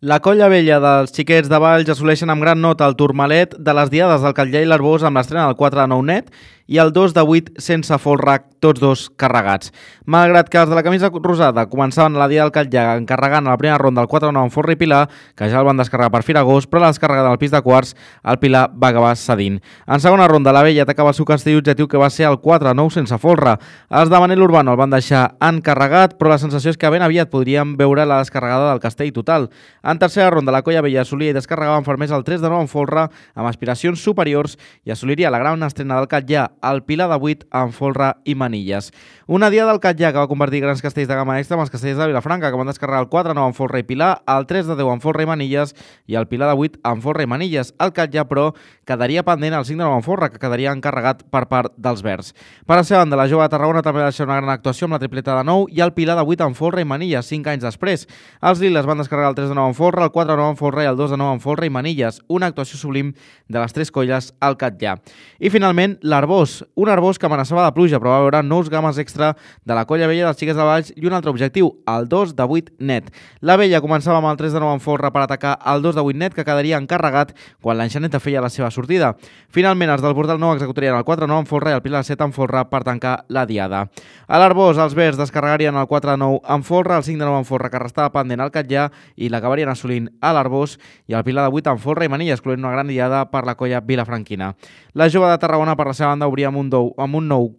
La colla vella dels xiquets de Valls assoleixen amb gran nota el turmalet de les diades del Catllar i l'Arbós amb l'estrena del 4 de 9 net i el 2 de 8 sense folre, tots dos carregats. Malgrat que els de la camisa rosada començaven a la diada del Catllar encarregant a la primera ronda el 4 de 9 amb folre i Pilar, que ja el van descarregar per Firagós, però la descarregada al pis de quarts, el Pilar va acabar cedint. En segona ronda, la vella atacava el seu castell objectiu, que va ser el 4 de 9 sense folre. Els de Manel Urbano el van deixar encarregat, però la sensació és que ben aviat podríem veure la descarregada del castell total. En tercera ronda, la colla vella assolia i descarregava amb fermesa el 3 de 9 en folre, amb aspiracions superiors, i assoliria la gran estrena del Catllar, el Pilar de 8 en folre i manilles. Una diada del Catllar que va convertir grans castells de gamma extra amb els castells de Vilafranca, que van descarregar el 4 de 9 en folre i Pilar, el 3 de 10 en folre i manilles i el Pilar de 8 en folre i manilles. El Catllar, però, quedaria pendent el 5 de 9 en folre, que quedaria encarregat per part dels verds. Per la seva banda, la jove de Tarragona també va deixar una gran actuació amb la tripleta de 9 i el Pilar de 8 en folre i manilles, 5 anys després. Els liles van descarregar el 3 de 9 en folre, el 4 de 9 en folre i el 2 de 9 en folre i manilles, una actuació sublim de les tres colles al Catllar. I finalment, l'Arbós, un Arbós que amenaçava de pluja, però va veure nous games extra de la colla vella dels xiquets de Valls i un altre objectiu, el 2 de 8 net. La vella començava amb el 3 de 9 en folre per atacar el 2 de 8 net, que quedaria encarregat quan l'enxaneta feia la seva sortida. Finalment, els del Portal Nou executarien el 4 de 9 en folre i el Pilar de 7 en folre per tancar la diada. A l'Arbós, els verds descarregarien el 4 de 9 en folre, el 5 de 9 en folre, que restava pendent al Catllar, i l'acabarien assolint a l'Arbós i el Pilar de 8 en folre i manilles, excloent una gran diada per la colla vilafranquina. La jove de Tarragona, per la seva banda, obria amb un nou.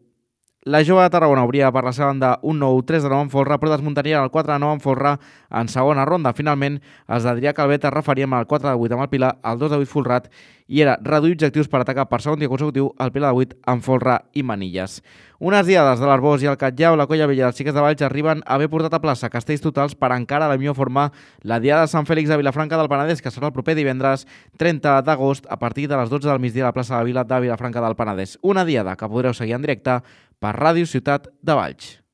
La jove de Tarragona obria per la seva banda un nou 3 de 9 en folre, però desmuntarien el 4 de 9 en folre en segona ronda. Finalment, els d'Adrià Calvet es referien al 4 de 8 amb el Pilar, el 2 de 8 folrat, i era reduir objectius per atacar per segon dia consecutiu el Pilar de 8 en folre i manilles. Unes diades de l'Arbós i el Catllar o la colla vella dels xiquets de Valls arriben a haver portat a plaça castells totals per encara la millor forma la diada de Sant Fèlix de Vilafranca del Penedès, que serà el proper divendres 30 d'agost a partir de les 12 del migdia a la plaça de la Vila de Vilafranca del Penedès. Una diada que podreu seguir en directe per Ràdio Ciutat de Valls.